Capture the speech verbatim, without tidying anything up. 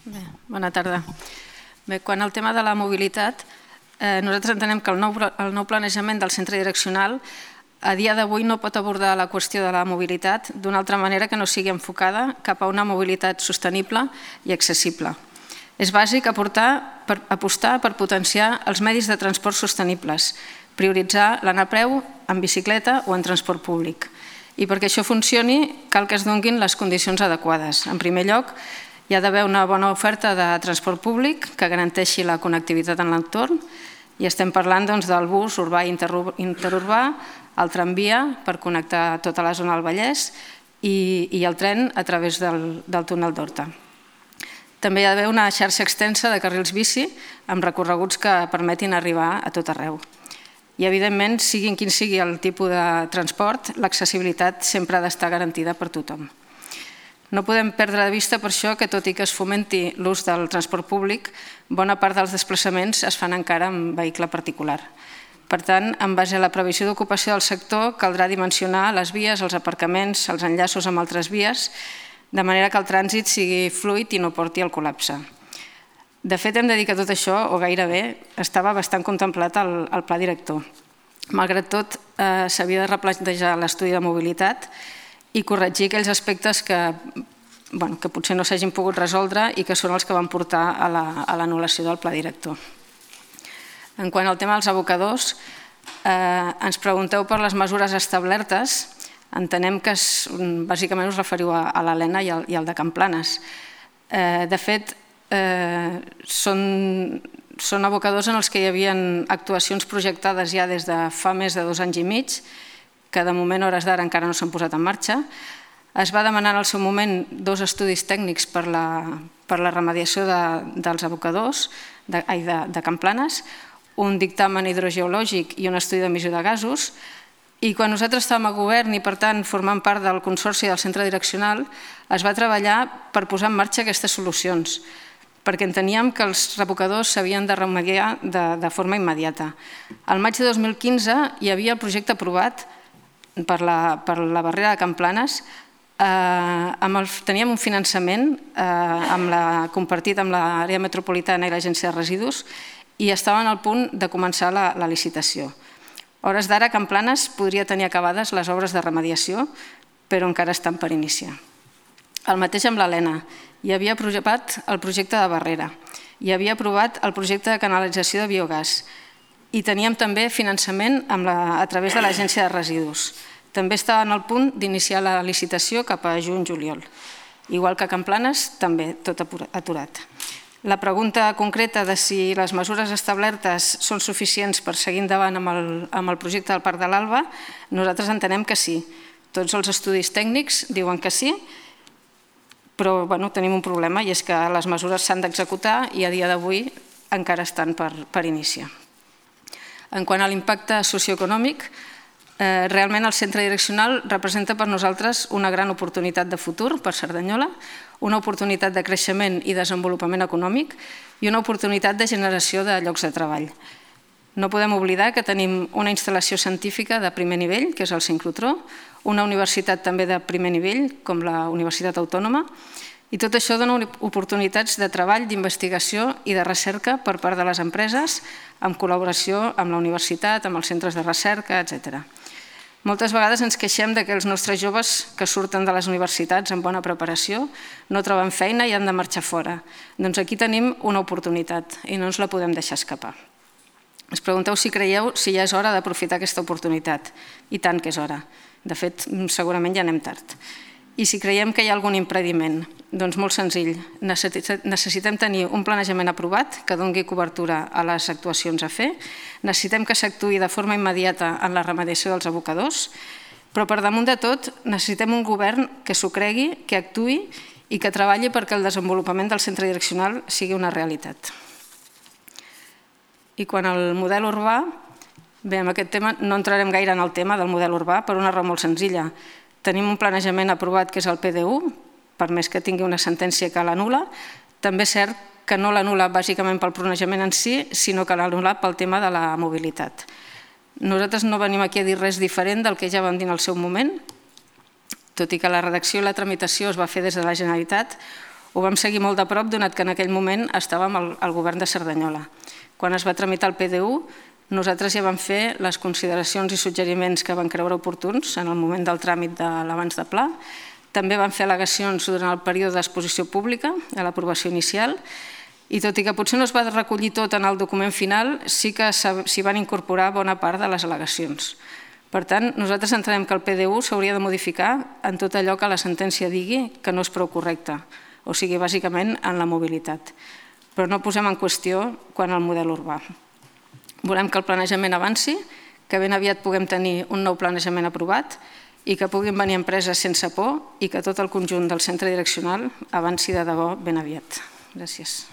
Bé, bona tarda. Bé, quan al tema de la mobilitat, eh, nosaltres entenem que el nou, el nou planejament del centre direccional a dia d'avui no pot abordar la qüestió de la mobilitat d'una altra manera que no sigui enfocada cap a una mobilitat sostenible i accessible. És bàsic aportar, per, apostar per potenciar els medis de transport sostenibles, prioritzar l'anar a peu en bicicleta o en transport públic. I perquè això funcioni cal que es donin les condicions adequades. En primer lloc, hi ha d'haver una bona oferta de transport públic que garanteixi la connectivitat en l'entorn i estem parlant doncs, del bus urbà i interurbà, el tramvia per connectar tota la zona del Vallès i, i el tren a través del, del túnel d'Horta. També hi ha d'haver una xarxa extensa de carrils bici amb recorreguts que permetin arribar a tot arreu. I, evidentment, siguin quin sigui el tipus de transport, l'accessibilitat sempre ha d'estar garantida per tothom. No podem perdre de vista per això que, tot i que es fomenti l'ús del transport públic, bona part dels desplaçaments es fan encara en vehicle particular. Per tant, en base a la previsió d'ocupació del sector, caldrà dimensionar les vies, els aparcaments, els enllaços amb altres vies, de manera que el trànsit sigui fluid i no porti al col·lapse. De fet, hem de dir que tot això, o gairebé, estava bastant contemplat al, al pla director. Malgrat tot, eh, s'havia de replantejar l'estudi de mobilitat i corregir aquells aspectes que, bueno, que potser no s'hagin pogut resoldre i que són els que van portar a l'anul·lació del pla director. En quant al tema dels abocadors, eh, ens pregunteu per les mesures establertes. Entenem que es, bàsicament us referiu a, a l'Helena i, i al de Can Planes. Eh, de fet, eh, són, són abocadors en els que hi havia actuacions projectades ja des de fa més de dos anys i mig, que de moment, a hores d'ara, encara no s'han posat en marxa. Es va demanar en el seu moment dos estudis tècnics per la, per la remediació de, dels abocadors de, ai, de, de Can Planes, un dictamen hidrogeològic i un estudi d'emissió de gasos, i quan nosaltres estàvem a govern i, per tant, formant part del consorci del centre direccional, es va treballar per posar en marxa aquestes solucions, perquè enteníem que els abocadors s'havien de remediar de, de forma immediata. Al maig de dos mil quinze hi havia el projecte aprovat per la, per la barrera de Can Planes, eh, amb el, teníem un finançament eh, amb la, compartit amb l'àrea metropolitana i l'agència de residus i estaven al punt de començar la, la licitació. A hores d'ara, Can Planes podria tenir acabades les obres de remediació, però encara estan per iniciar. El mateix amb l'Helena. Hi havia aprovat el projecte de barrera, hi havia aprovat el projecte de canalització de biogàs i teníem també finançament amb la, a través de l'agència de residus. També estaven al punt d'iniciar la licitació cap a juny-juliol. Igual que Can Planes, també tot aturat. La pregunta concreta de si les mesures establertes són suficients per seguir endavant amb el, amb el projecte del Parc de l'Alba, nosaltres entenem que sí. Tots els estudis tècnics diuen que sí, però bueno, tenim un problema i és que les mesures s'han d'executar i a dia d'avui encara estan per, per iniciar. En quant a l'impacte socioeconòmic, eh, realment el centre direccional representa per nosaltres una gran oportunitat de futur per Cerdanyola, una oportunitat de creixement i desenvolupament econòmic i una oportunitat de generació de llocs de treball. No podem oblidar que tenim una instal·lació científica de primer nivell, que és el sincrotró, una universitat també de primer nivell, com la Universitat Autònoma, i tot això dona oportunitats de treball, d'investigació i de recerca per part de les empreses, en col·laboració amb la universitat, amb els centres de recerca, etcètera. Moltes vegades ens queixem que els nostres joves que surten de les universitats amb bona preparació no troben feina i han de marxar fora. Doncs aquí tenim una oportunitat i no ens la podem deixar escapar. Us pregunteu si creieu si ja és hora d'aprofitar aquesta oportunitat. I tant que és hora. De fet, segurament ja anem tard. I si creiem que hi ha algun impediment? Doncs molt senzill. Necessitem tenir un planejament aprovat que doni cobertura a les actuacions a fer. Necessitem que s'actuï de forma immediata en la remediació dels abocadors, però per damunt de tot necessitem un govern que s'ho cregui, que actuï i que treballi perquè el desenvolupament del centre direccional sigui una realitat. I quan al model urbà, bé, en aquest tema no entrarem gaire en el tema del model urbà per una raó molt senzilla. Tenim un planejament aprovat que és el P D U, per més que tingui una sentència que l'anul·la. També és cert que no l'anul·la bàsicament pel planejament en si, sinó que l'anul·la pel tema de la mobilitat. Nosaltres no venim aquí a dir res diferent del que ja vam dir en el seu moment, tot i que la redacció i la tramitació es va fer des de la Generalitat. Ho vam seguir molt de prop, donat que en aquell moment estàvem al govern de Cerdanyola. Quan es va tramitar el P D U, nosaltres ja vam fer les consideracions i suggeriments que van creure oportuns en el moment del tràmit de l'abans de pla. També van fer al·legacions durant el període d'exposició pública, a l'aprovació inicial, i tot i que potser no es va recollir tot en el document final, sí que s'hi van incorporar bona part de les al·legacions. Per tant, nosaltres entenem que el P D U s'hauria de modificar en tot allò que la sentència digui que no és prou correcte, o sigui, bàsicament en la mobilitat. Però no posem en qüestió quan el model urbà. Volem que el planejament avanci, que ben aviat puguem tenir un nou planejament aprovat i que puguin venir empreses sense por i que tot el conjunt del centre direccional avanci de debò ben aviat. Gràcies.